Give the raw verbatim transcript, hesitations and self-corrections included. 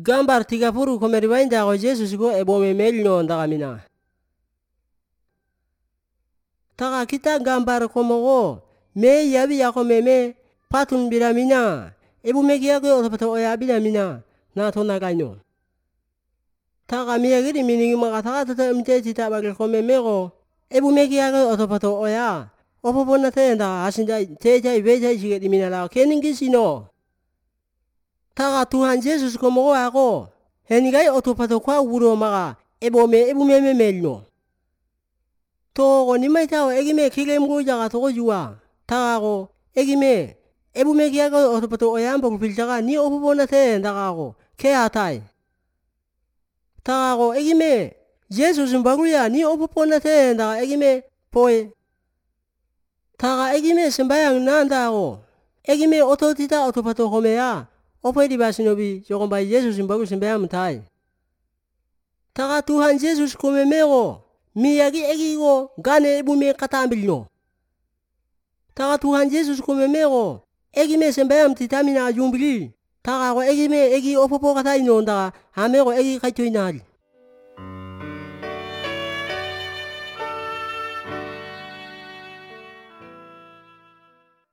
gambar tiga puluh komeribainda ko Jesus ko ebome melno ndakamina. Taka kita gambar komogo me yabi yako meme patun biramina ebome kiako otopato oya biramina na tona kaino. Taka miya giri miningi makataka tata mte tita bagil komemego ebome kiako otopato oya opopona tenda asinda teja ibeja isiget iminala keningi sino. Taka Tuhan Yesus komogo ako henigai otopato kwa wuro maka ebome ebome memelno. Togo nimaitao egime kilemgo jaga togo jua. Taka ko egime ebome kiako otopato oyambo kupiltaka ni opopona tenda kako ke atai. Taka ko egime Jesus mbaruya ni opopona tenda egime poe. Taka egime sembayang nanda ko egime ototita otopato homeya opo di basinobi jokombai Jesus mbaru sembayang mutai. Taka Tuhan Jesus komemego miyagi egigo gane ebume katambilno. Taka Tuhan Jesus komemego egime sembayang titamina jumbili. Taka ko egime egi opopo kataino nda amego egi kaitoinari.